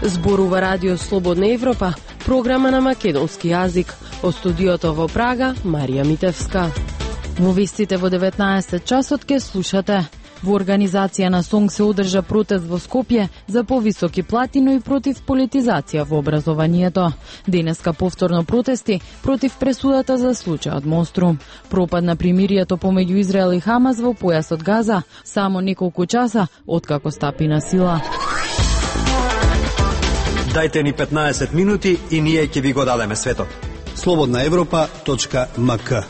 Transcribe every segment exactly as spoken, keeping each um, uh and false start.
Зборува Радио Слободна Европа, програма на македонски јазик. Од студиото во Прага, Марија Митевска. Во вестите во деветнаесет часот ке слушате. Во организација на СОНГ се одржа протест во Скопје за повисоки плати, но и против политизација во образованието. Денеска повторно протести против пресудата за случајот Монструм. Пропад на примирието помеѓу Израел и Хамас во појасот Газа само неколку часа откако стапи на сила. Дајте ни петнаесет минути и ние ќе ви го дадеме светот. слободна европа точка ем ка.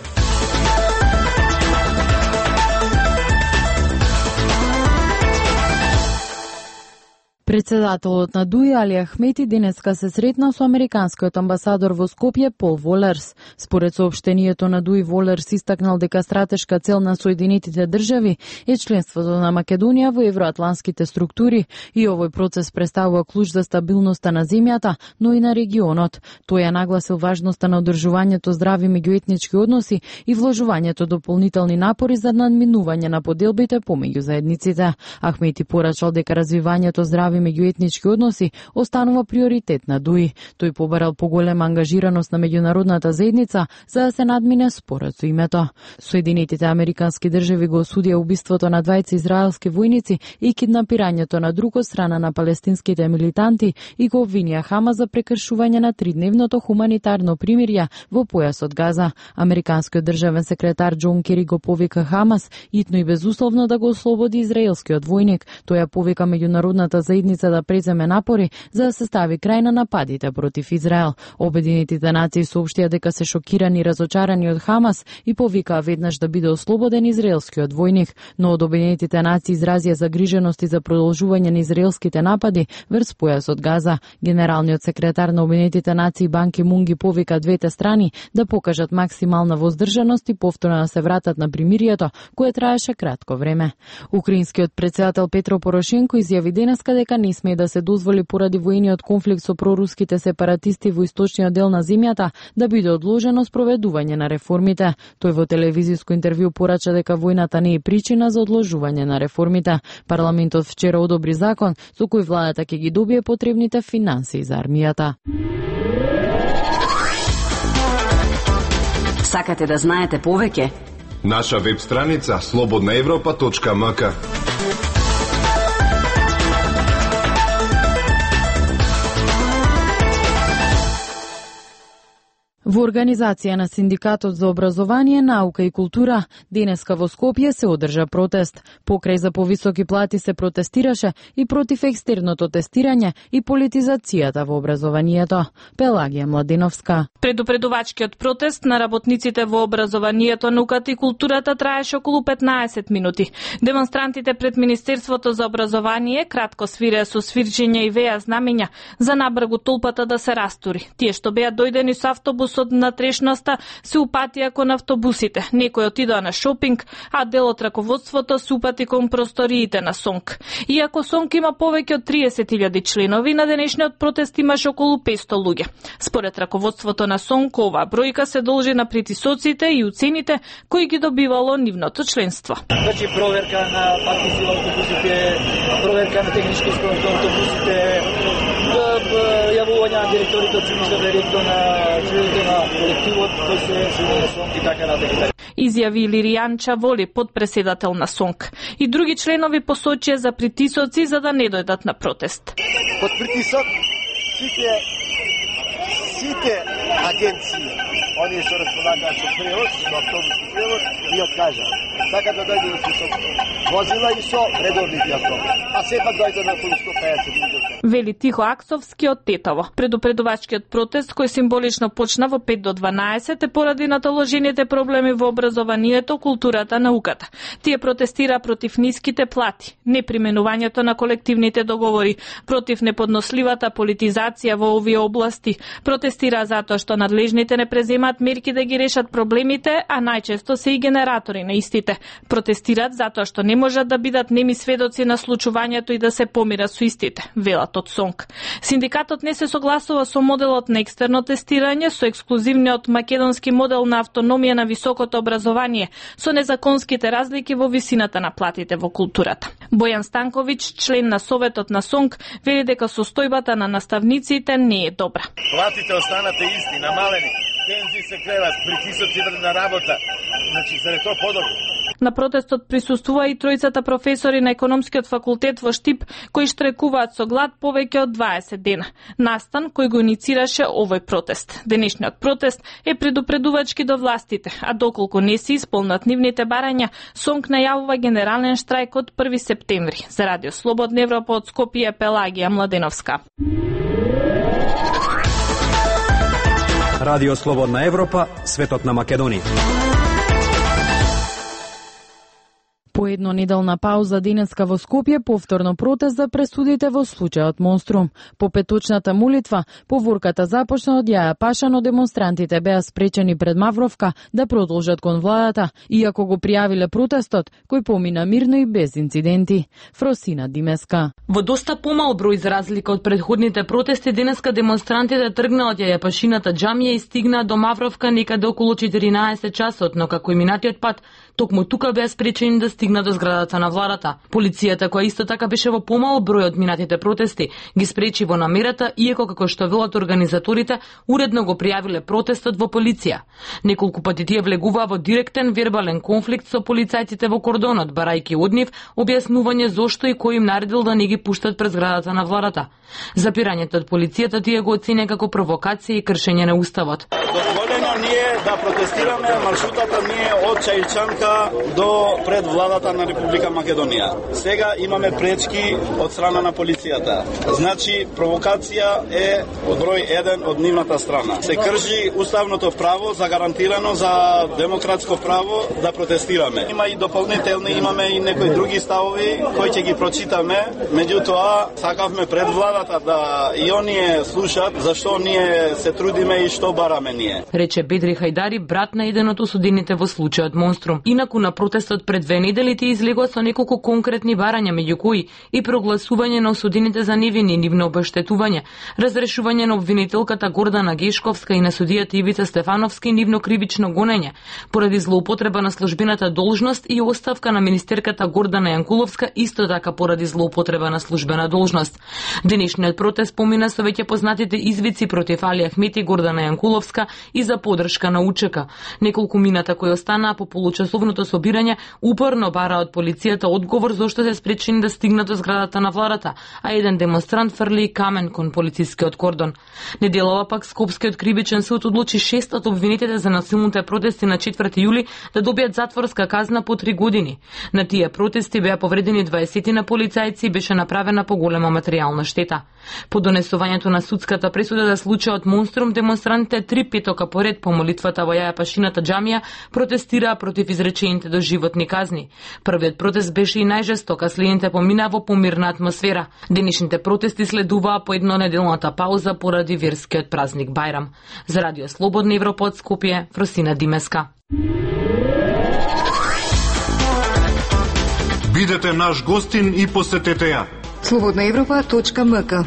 Председателот на ДУИ Али Ахмети денеска се сретна со американскиот амбасадор во Скопје Пол Волерс. Според соопштението на ДУИ, Волерс истакнал дека стратешка цел на Соединетите држави е членството на Македонија во евроатланските структури и овој процес представува клуч за стабилноста на земјата, но и на регионот. Тој ја нагласил важноста на одржувањето здрави меѓуетнички односи и вложувањето дополнителни напори за надминување на поделбите помеѓу заедниците. Ахмети порачал дека развивањето здрави меѓуетнички односи останува приоритет на ДУИ. Тој побарал поголема ангажираност на меѓународната заедница за да се надмине спорот со името. Соединетите американски држави го осудија убиството на двајца израелски војници и киднапирањето на друг од страна на палестинските милитанти и го обвинија Хамас за прекршување на тридневното хуманитарно примирје во појасот Газа. Американскиот државен секретар Џон Кери го повика Хамас итно и безусловно да го ослободи израелскиот војник. Тој ја повика меѓународната заедница да преземе напори за да се стави крај на нападите против Израел. Обединетите нации соопштија дека се шокирани и разочарани од Хамас и повикаа веднаш да биде ослободен израелскиот војник, но од Обединетите нации изразија загриженост и за продолжување на израелските напади врз појасот Газа. Генералниот секретар на Обединетите нации Бан Ки Мун ги повика двете страни да покажат максимална воздржаност и повторно да се вратат на примирието кое траеше кратко време. Украинскиот председател Петро Порошенко изјави денеска дека не сме да се дозволи поради војниот конфликт со проруските сепаратисти во источниот дел на земјата да биде одложено спроведување на реформите. Тој во телевизиско интервју порача дека војната не е причина за одложување на реформите. Парламентот вчера одобри закон со кој владата ќе ги добие потребните финансии за армијата. Сакате да знаете повеќе? Наша веб страница слободна европа точка ем ка. Во организација на Синдикатот за образование, наука и култура, денеска во Скопје се одржа протест. Покрај за повисоки плати се протестираше и против екстерното тестирање и политизацијата во образованието. Пелагија Младеновска. Предупредувачкиот протест на работниците во образованието, науката и културата траеше околу петнаесет минути. Демонстрантите пред Министерството за образование кратко свиреа со свирчења и веа знамења за набргу толпата да се растури. Тие што беа дојдени со автобус од натрешноста се упатија кон автобусите. Некој отидоа на шопинг, а дел од раководството се упати кон просториите на СОНГ. Иако СОНГ има повеќе од триесет илјади членови, на денешниот протест имаше околу петсто луѓе. Според раководството на СОНГ, оваа бројка се должи на притисоците и уцените кои ги добивало нивното членство. Значи проверка на партици во автобусите, проверка на технички исполнители на автобусите, јавување на директорите од цивилната директор на члените на колективот кој се член на СОНГ и така натаму. Изјави Лиријанча Воли, подпредседател на СОНГ. И други членови посочија за притисоци за да не дојдат на протест. Под притисок сите сите агенции, оние што располагаат со превоз, со автобуски превоз, и откажа. Така да дојде со возила и со редовните автобуси. А сепак дојде на околу сто пеесет луѓе. Вели Тихо Аксовски од Тетово. Предупредувачкиот протест кој символично почна во пет до дванаесет е поради наталожените проблеми во образованието, културата, науката. Тие протестира против ниските плати, неприменувањето на колективните договори, против неподносливата политизација во овие области, протестира затоа што надлежните не преземаат земаат мерки да ги решат проблемите, а најчесто се и генератори на истите. Протестираат затоа што не можат да бидат неми сведоци на случувањето и да се помират со истите, велат од СОНК. Синдикатот не се согласува со моделот на екстерно тестирање, со ексклузивниот македонски модел на автономија на високото образование, со незаконските разлики во висината на платите во културата. Бојан Станковиќ, член на Советот на СОНК, вели дека состојбата на наставниците не е добра. Платите останате исти, намалени, пензии се креват, притисоци на работа. Значи, заради тоа подобро. На протестот присуствува и тројцата професори на економскиот факултет во Штип, кои штрекуваат со глад повеќе од дваесет дена. Настан кој го иницираше овој протест. Денешниот протест е предупредувачки до властите, а доколку не се исполнат нивните барања, СОНК најавува генерален штрајк од први септември. За Радио Слободна Европа од Скопје, Пелагија Младеновска. Радио Слободна Европа, светот на Македонија. По еднонеделна пауза денеска во Скопје повторно протест за пресудите во случајот Монструм. По петочната молитва, поворката започна од Јаја Паша, но демонстрантите беа спречени пред Мавровка да продолжат кон владата, иако го пријавиле протестот, кој помина мирно и без инциденти. Фросина Димеска. Во доста помал број за разлика од предходните протести, денеска демонстрантите тргнаа од Јаја Пашината џамија и стигнаа до Мавровка некаде околу четиринаесет часот, но како и минатиот пат, токму тука беа спречени да стигна до зградата на владата. Полицијата, која исто така беше во помал број од минатите протести, ги спречи во намерата, иако како што велат организаторите, уредно го пријавиле протестот во полиција. Неколку пати тие влегуваа во директен вербален конфликт со полицајците во кордонот, барајќи од нив објаснување зошто и кој им наредил да не ги пуштат пред зградата на владата. Запирањето од полицијата тие го оцене како провокација и кршење на уставот. Дозволено ние да протестираме маршрутата ние од Чајчанка до пред владата на Република Македонија. Сега имаме пречки од страна на полицијата. Значи провокација е број еден од нивната страна. Се крши уставното право загарантирано за демократско право да протестираме. Има и дополнителни, имаме и некои други ставови кои ќе ги прочитаме. Меѓутоа сакавме пред владата да и оние слушат зашто ние се трудиме и што бараме ние. Рече Бедри Хајдари, брат на еден од осудените во случајот Монструм. Инаку на протестот пред две недели тие излегува со неколку конкретни барања, меѓу кои и прогласување на осудените за невини, нивно обештетување, разрешување на обвинителката Гордана Гешковска и на судијата Ивица Стефановски нивно кривично гонење поради злоупотреба на службената должност и оставка на министерката Гордана Јанкуловска исто така поради злоупотреба на службена должност. Денешниот протест помина со веќе познатите извици против Али Ахмети, Гордана Јанкуловска и за подршка на УЧК. Неколку мината кои останаа по получасовното собирање упорно бара од полицијата одговор зошто се спречени да стигнат до зградата на владата, а еден демонстрант фрли камен кон полицискиот кордон. Неделова пак Скопскиот кривичен суд одлучи шест од обвинетите за насилните протести на четврти јули да добијат затворска казна по три години. На тие протести беа повредени дваесет на полицајци и беше направена поголема материјална штета. По донесувањето на судската пресуда за случајот Монструм, демонстрантите три петока поред по молитвата во Јаја Пашината џамија протестираа против изречените доживотни казни. Првиот протест беше и најжесток, а следните помина во помирна атмосфера. Денешните протести следуваа по еднонеделната пауза поради верскиот празник Бајрам. За Радио Слободна Европа од Скопје, Фросина Димеска. Бидете наш гостин и посетете ја. слободна европа точка ем ка.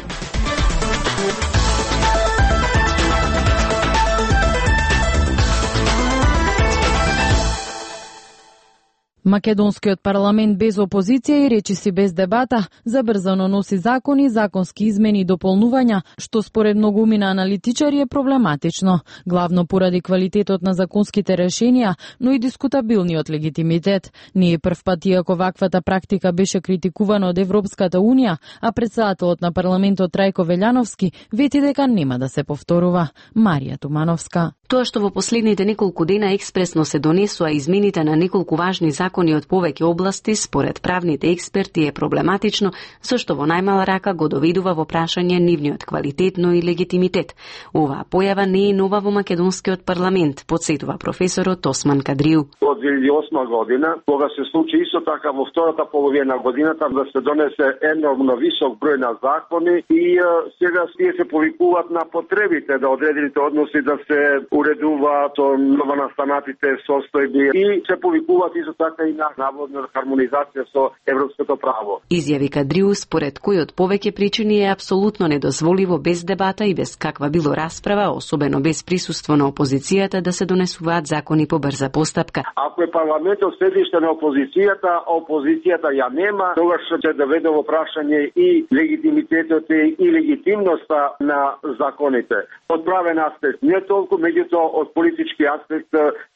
Македонскиот парламент без опозиција и речиси без дебата забрзано носи закони, законски измени и дополнувања, што според многумина аналитичари е проблематично, главно поради квалитетот на законските решенија, но и дискутабилниот легитимитет. Не е прв пат иако ваквата практика беше критикувана од Европската унија, а председателот на парламентот Трајко Велјановски вети дека нема да се повторува. Марија Тумановска. Тоа што во последните неколку дена експресно се донесува измените на неколку важни закони закони од повеќе области, според правните експерти е проблематично, зашто во најмала рака го доведува во прашање нивниот квалитетно и легитимитет. Оваа појава не е нова во македонскиот парламент, подсетува професорот Осман Кадриу. Од две илјади и осма година, кога се случи исто така во втората половина на годината да се донесе енормно висок број на закони и сега тие се повикуваат на потребите да одредените односи да се уредуваат со новонастанатите состојби и се повикуваат исто така и на наводна хармонизација со европското право. Изјави Кадриу, според кој од повеќе причини е апсолутно недозволиво без дебата и без каква било расправа, особено без присуство на опозицијата, да се донесуваат закони по брза постапка. Ако е парламентот седиште на опозицијата, а опозицијата ја нема, тогаш ќе доведе во прашање и легитимитетот и легитимноста на законите. Од правен аспект не толку, меѓутоа од политички аспект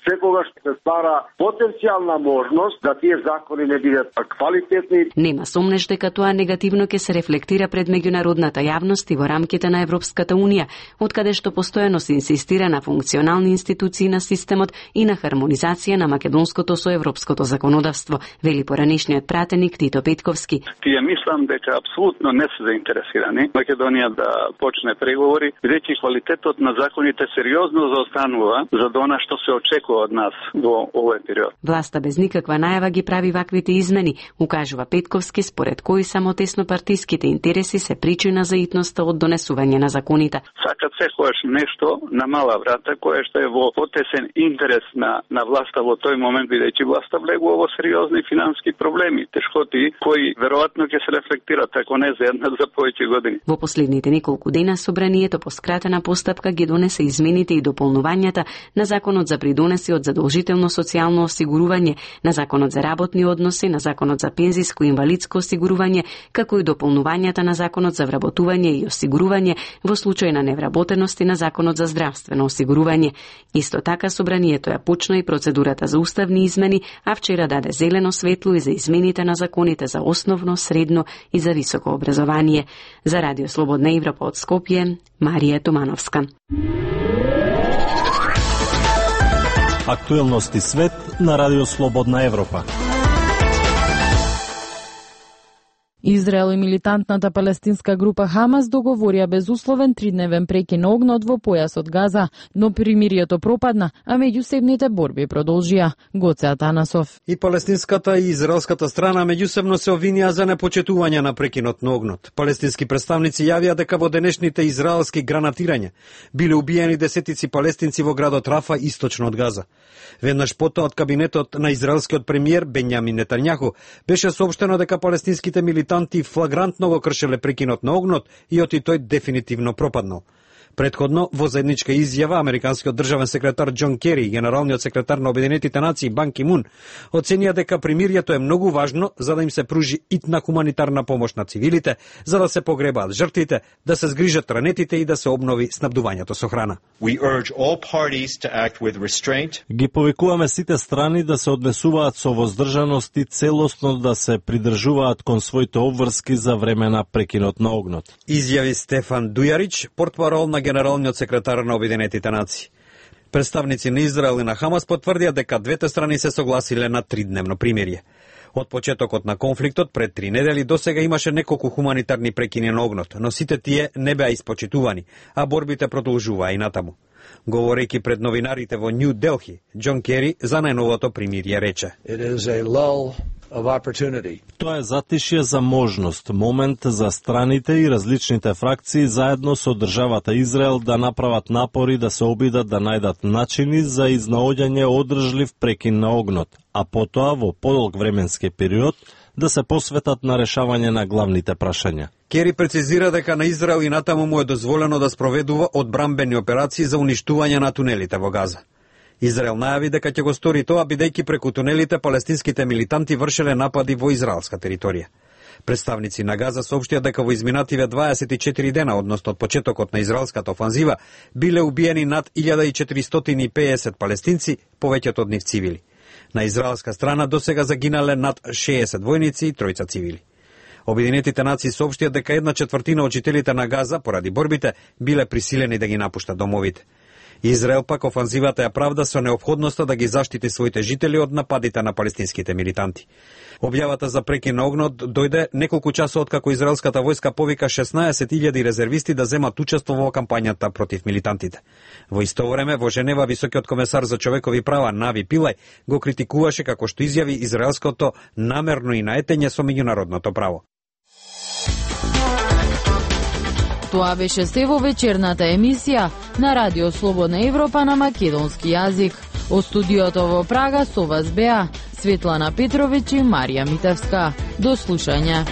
секогаш се стара потенцијална можност да тие закони не бидат квалитетни. Нема сомнеш дека тоа негативно ќе се рефлектира пред меѓународната јавност и во рамките на Европската унија, откаде што постојано се инсистира на функционални институции на системот и на хармонизација на македонското со европското законодавство, вели поранешниот пратеник Тито Петковски. Тие мислам дека апсолутно не се заинтересирани Македонија да почне преговори, бидејќи квалитетот на законите сериозно заостанува за она што се очекува од нас во овој период. Власта без никаква најава ги прави ваквите измени, укажува Петковски, според кои само теснопартиските интереси се причина за итноста од донесување на законите. Сакат секогаш нешто на мала врата, кое што е во потесен интерес на, на власта во тој момент, бидејќи власта влегува во сериозни финански проблеми, тешкоти, кои веројатно ќе се рефлектираат, ако не за една, за повеќе години. Во последните неколку дена собранието по скратена постапка ги донесе измените и дополнувањата на Законот за придонеси од задолжително социјално осигурување, на Законот за работни односи, на Законот за пензиско и инвалидско осигурување, како и дополнувањата на Законот за вработување и осигурување во случај на невработеност и на Законот за здравствено осигурување. Исто така собранието ја почна и процедурата за уставни измени, а вчера даде зелено светло и за измените на законите за основно, средно и за високо образование. За Радио Слободна Европа од Скопје, Марија Томановска. Актуелности свет на Радио Слободна Европа. Израел и милитантната палестинска група Хамас договорија безусловен тридневен прекин на огнот во појасот Газа, но примирието пропадна, а меѓусебните борби продолжија. Гоце Атанасов. И палестинската и израелската страна меѓусебно се обвинија за непочетување на прекинот на огнот. Палестински представници јавија дека во денешните израелски гранатирања биле убиени десетици палестинци во градот Рафа, источно од Газа. Веднаш потоа од кабинетот на израелскиот премиер Бенјамин Нетањаху беше соопштено дека палестинските милитанти флагрантно го кршеле прекинот на огнот и оти тој дефинитивно пропаднал. Предходно, во заедничка изјава, американскиот државен секретар Џон Кери и генералниот секретар на Обединетите нации Бан Ки Мун оценија дека примирието е многу важно за да им се пружи итна хуманитарна помош на цивилите, за да се погребаат жртвите, да се згрижат ранетите и да се обнови снабдувањето со храна. We urge all parties to act with restraint. Ги повикуваме сите страни да се однесуваат со воздржаност и целосно да се придржуваат кон своите обврски за време на прекинот на огнот. Изјави Стефан Дујарич, портпарол на генералниот секретар на Обединетите нации. Представници на Израел и на Хамас потврдија дека двете страни се согласиле на тридневно примирие. Од почетокот на конфликтот пред три недели досега имаше неколку хуманитарни прекини на огнот, но сите тие не беа испочитувани, а борбите продолжуваа и натаму. Говорејќи пред новинарите во Нью Делхи, Џон Кери за најновото примирие рече: It is a lull of opportunity. Тоа е затишје за можност, момент за страните и различните фракции заедно со државата Израел да направат напори да се обидат да најдат начини за изнаоѓање одржлив прекин на огнот, а потоа во подолг временски период да се посветат на решавање на главните прашања. Кери прецизира дека на Израел и натаму му е дозволено да спроведува одбрамбени операции за уништување на тунелите во Газа. Израел најави дека ќе го стори тоа бидејќи преку тунелите палестинските милитанти вршеле напади во израелска територија. Представници на Газа соопштија дека во изминативе дваесет и четири дена, односно од почетокот на израелската офанзива, биле убиени над илјада четиристотини и педесет палестинци, повеќето од нив цивили. На израелска страна досега загинале над шеесет војници и тројца цивили. Обединетите нации соопштија дека една четвртина од жителите на Газа, поради борбите, биле присилени да ги напуштат домовите. Израел пак офанзивата ја правда со неопходноста да ги заштити своите жители од нападите на палестинските милитанти. Објавата за прекин на огнот дојде неколку часот откако израелската војска повика шеснаесет илјади резервисти да земат учество во кампањата против милитантите. Во исто време, во Женева, високиот комесар за човекови права Нави Пилај го критикуваше како што изјави израелското намерно и наетење со меѓународното право. Тоа беше се во вечерната емисија на Радио Слободна Европа на македонски јазик. Од студиото во Прага со вас беа Светлана Петровиќ и Марија Митевска. До слушање.